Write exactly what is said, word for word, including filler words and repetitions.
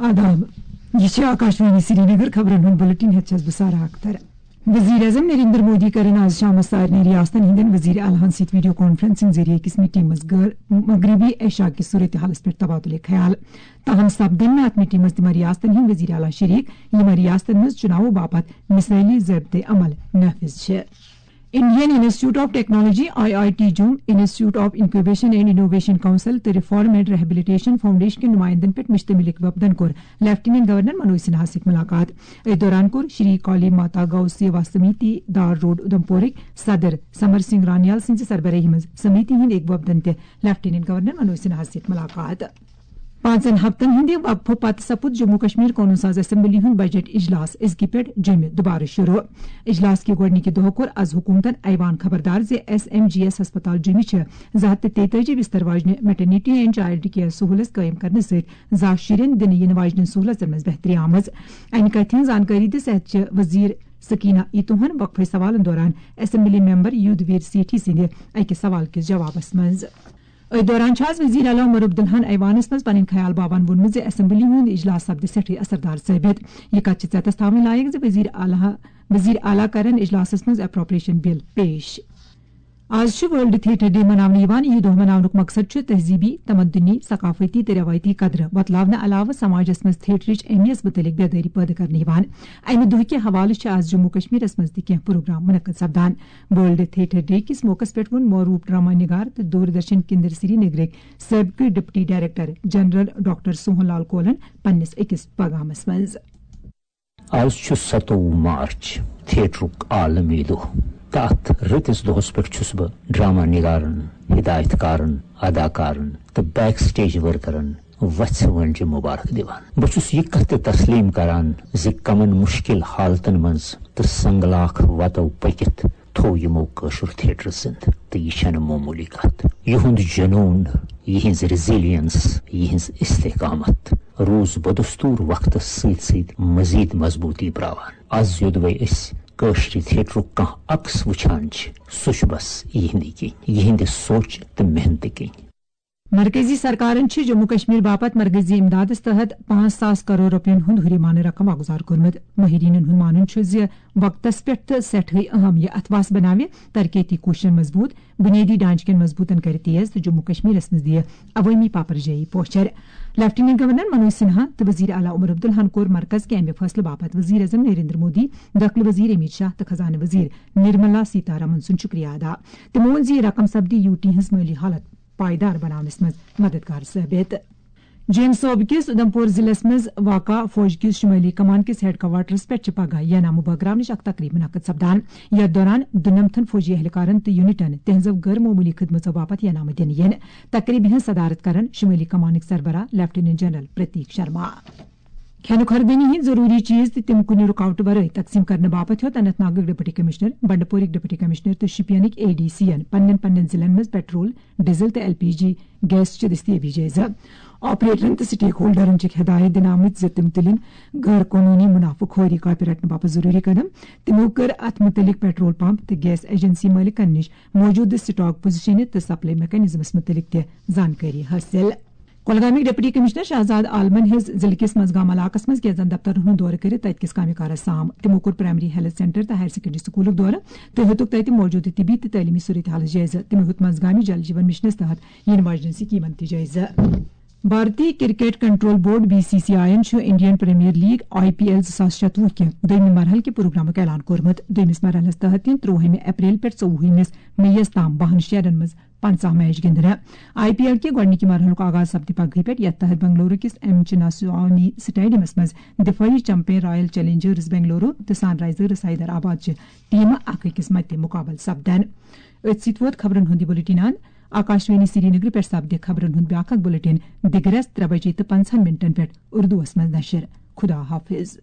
آداب، یہِ چھِ آکاشوانی سرینگر۔ خبرن ہُنٛد بُلٹن ہٮ۪تھ چھَس بہٕ سارا اختر۔ وزیر اعظم نریندر مودی کَرن آز شامَس سارنٕے ریاستن ہٕنٛدٮ۪ن وزیر اعلیٰ ہن سۭتۍ ویڈیو کانفرنسنگ ذٔریعہٕ أکِس میٹنگ منٛز غٲر مغربی ایشیا کِس صورتحالَس پٮ۪ٹھ تبادلے خیال۔ تاہم سپدن نہٕ اَتھ میٹنگ منٛز تِمن ریاستن ہٕنٛدۍ وزیر اعلیٰ شریک، یِمن ریاستن منٛز چُناوو باپتھ مثٲلی ضٲبطہٕ عمل نافذ چھِ۔ Indian institute of technology, I I T Jammu, institute of incubation and innovation council تہٕ ریفارم اینڈ ریہیبلیٹیشن فاؤنڈیشن کٮ۪ن نمائندن پٮ۪ٹھ مشتمل اکھ وفدن کوٚر لیفٹیننٹ گورنر منوج سنہاہَس سۭتۍ ملاقات۔ أتھۍ دوران کوٚر شری کالی ماتا گو سیوا سمیتی دار روڈ اُدھمپورٕکۍ صدر سمر سنگھ رانیال سٕنٛزِ سربراہی منٛز سمیتی ہٕنٛدۍ اکھ وفدن تہِ لیفٹیننٹ گورنر منوج سنہاہَس سۭتۍ ملاقات۔ پانٛژن ہفتن ہٕنٛدِ وقفہٕ پتہٕ سپُد جموں کشمیر قونوٗن ساز اسمبلی ہُنٛد بجٹ اجلاس أزکہِ پٮ۪ٹھ جیٚمہِ دُبارٕ شروع۔ اجلاس کہِ گۄڈٕنِکہِ دۄہ کوٚر از حکومتن ایوان خبردار زِ ایس ایم جی ایس ہسپتال جیٚمہِ چھِ زٕ ہتھ تہٕ تیتٲجی بستر واجنہِ میٹرنیٹی اینڈ چائلڈ کیئر سہولت قٲیِم کرنہٕ سۭتۍ زا شُرٮ۪ن دِنہٕ یِنہٕ واجنٮ۪ن سہولژن منٛز بہتری آمٕژ۔ امہِ کتھِ ہٕنٛز زانکٲری دِژ صحت چہِ وزیر سکینہ ایتوہن وقفہٕ سوالن دوران اسمبلی ممبر یودھ ویر سیٹھی سٕنٛدِ اکہِ سوال کِس جوابس منٛز۔ أتھۍ دوران چھُ از وزیر اعلیٰ عمر عبداللہن ایوانس منٛز پنٕنۍ خیال باوان ووٚنمُت زِ اسمبلی ہُنٛد اجلاس سپدِ سٮ۪ٹھٕے اثردار ثٲبت۔ یہِ کتھ چھِ ژٮ۪تس تھاوٕنۍ لایق زِ وزیر اعلیٰ، وزیر اعلیٰ کرن اجلاسس منٛز اپروپریشن بل پیش۔ آز چھُ ورلڈ تھیٹر ڈے مناونہٕ یِوان۔ یہِ دۄہ مناونُک مقصد چھُ تہذیٖبی، تمدنی، ثقافتی تہٕ رٮ۪وٲیتی قدرٕ وۄتلاونہٕ علاوٕ سماجس منٛز تھیٹرٕچ اہمیت مُتعلق بیدٲری پٲدٕ کرنہٕ یِوان۔ امہِ دۄہ کہِ حوالہٕ چھِ آز جموں کشمیرس منٛز تہِ کینٛہہ پروگرام منعقد سپدان۔ ورلڈ تھیٹر ڈے کِس موقعس پٮ۪ٹھ ووٚن معروٗف ڈرامہ نگار تہٕ دوردرشن کیندر سری نگرٕکۍ سٲبقہٕ ڈپٹی ڈائریکٹر جنرل ڈاکٹر سوہن لال کولن پننِس أکِس پیغامس منٛز۔ آز چھُ ستووُہ مارچ، تھیٹرُک عالمی دۄہ۔ تہٕ اتھ رٕتِس دۄہس پٮ۪ٹھ چھُس بہٕ ڈرامہ نگارن، ہدایت کارن، اداکارن تہٕ بیک سٹیج ورکرن وژھِ وٲنجہِ مبارک دِوان۔ بہٕ چھُس یہِ کتھ تہِ تسلیم کران زِ کمن مشکل حالتن منٛز تہٕ سنگلاخ وتو پٔکِتھ تھوو یِمو کٲشُر تھیٹر زِندٕ۔ تہٕ یہِ چھنہٕ معموٗلی کتھ۔ یِہُنٛد جنوٗن، یِہٕنٛز ریزیلینس، یِہٕنٛز استحکامت روٗز بدستور وقتس سۭتۍ سۭتۍ مزید مضبوٗطی پراوان۔ از یوٚدوے أسۍ کٲشرِ تھیٹرُک کانٛہہ عکس وٕچھان چھِ، سُہ چھُ بس یِہنٛدِ کِنۍ، یِہنٛدِ سونچ تہٕ محنتہٕ کِنۍ۔ مرکزی سرکارن چھِ جموں کشمیر باپتھ مرکزی امدادس تحت پانٛژھ ساس کرور رۄپین ہُنٛد ہُریمانہٕ رقم واگُزار کوٚرمُت۔ مٲہریٖنن ہُنٛد مانُن چھُ زِ وقتس پٮ۪ٹھ تہٕ سٮ۪ٹھٕے اہم یہِ اتھواس بناوِ ترقیتی کوٗششن مضبوٗط، بُنیٲدی ڈھانچہٕ کٮ۪ن مضبوٗطن کرِ تیز تہٕ جموں کشمیرس منٛز دِیہِ عوٲمی پاپرجٲیی پوچھر۔ لیفٹیننٹ گورنر منوج سنہا تہٕ وزیر اعلیٰ عمر عبداللہن کوٚر مرکز کہِ امہِ فٲصلہٕ باپتھ وزیر اعظم نریندر مودی، دٲخلہٕ وزیر امیت شاہ تہٕ خزانہٕ وزیر نرملا سیتارمن سُنٛد شُکریہ ادا۔ تِمو ووٚن زِ یہِ رقم سپدِ یو ٹی ہٕنٛز مٲلی حالت پائیدار بناونس منٛز مددگار ثٲبت۔ جوٚم صوبہٕ کِس اُدھمپور ضلعس منٛز واقع فوج کِس شمٲلی کمان کِس ہیڈ کوارٹرس پٮ۪ٹھ چھِ پگاہ ینامہٕ بٲگراونٕچ اکھ تقریب منعقد سپدان۔ یتھ دوران دُنمتھن فوجی اہلکارن تہٕ یونٹن تہنٛزو غٲر معموٗلی خدمژو باپتھ ینامہٕ دِنہٕ یِن۔ تقریبہِ ہٕنٛز صدارت کرن شمٲلی کمانٕکۍ سربراہ لیفٹیننٹ جنرل پرتیک شرما۔ کھٮ۪نہٕ خۄردٲنی ہٕنٛدۍ ضروٗری چیٖز تہِ تِم کُنہِ رُکاوٹہٕ ورٲے تقسیٖم کرنہٕ باپتھ ہیوٚت اننت ناگٕکۍ ڈپٹی کمشنر، بنڈپورٕکۍ ڈپٹی کمشنر تہٕ شوپینٕکۍ اے ڈی سی ین پننٮ۪ن پننٮ۪ن ضلعن منٛز پیٹرول، ڈیزل تہٕ ایل پی جی گیس چہِ دٔستیٲبی جٲیزٕ۔ آپریٹرن تہٕ سٹیک ہولڈرن چھِکھ ہدایت دِنہٕ آمٕتۍ زِ تِم تُلِن غٲر قونوٗنی منافعہٕ خوری کاپہِ رٹنہٕ باپتھ ضروٗری قدم۔ تِمو کٔر اتھ مُتعلق پیٹرول پمپ تہٕ گیس ایجنسی مٲلِکن نِش موجودٕ سٹاک پوزیشنہِ تہٕ سپلائی میکانزمس مُتعلق تہِ زانکٲری حٲصِل۔ کۄلگامٕکۍ ڈپٹی کمشنر شہزاد عالمن ہیٚژ ضلعہٕ کِس منزگام علاقس منٛز کینٛژن دفترن ہُنٛد دورٕ کٔرِتھ تتہِ کِس کامہِ کارس سام۔ تِمو کوٚر پرائمری ہیلتھ سینٹر تہٕ ہائر سیکنڈری سکولُک دورٕ تہٕ ہیوٚتُکھ تتہِ موجودٕ طبی تہٕ تعلیمی صورتحالس جٲیزٕ۔ تِمو ہیوٚت منزگامہِ جل جیون مشنس تحت یِنہٕ واجنٮ۪ن سکیمن تہِ جٲیزٕ۔ Bharatiya cricket control board, B C C I ین چھُ Indian premier league, I P L, زٕ ساس شتوُہ کہِ دوٚیمہِ مرحلہٕ کہِ پروگرامُک اعلان کوٚرمُت۔ دوٚیمِس مرحلس تحت یِن ترٛۆوُہمہِ اپریل پٮ۪ٹھ ژوٚوُہمِس مئی یَس تام بَہَن شہرن منٛز پنٛژاہ میچ گِنٛدنہٕ۔ آئی پی ایل کہِ گۄڈٕنِکہِ مرحلُک آغاز سپدِ پگہٕے پٮ۪ٹھ، یتھ تحت بنگلورو کِس ایم چناسوامی سٹیڈیمس منٛز دفٲعی چمپین رائل چیلنجرز بنگلورو تہٕ سن رائزرز حیدرآباد چہِ ٹیمہٕ اکھ أکِس مدِ مقابلہٕ سپدن۔ أتھۍ سۭتۍ ووت خبرن ہُنٛد یہِ بُلٹن اند۔ آکاشوانی سرینگرٕ پٮ۪ٹھ سپدِ خبرن ہُنٛد بیٛاکھ اکھ بُلٹن دِگرس ترٛےٚ بجے تہٕ پنٛژاہن منٹن پٮ۪ٹھ اردوس منٛز نشر۔ خدا حافظ۔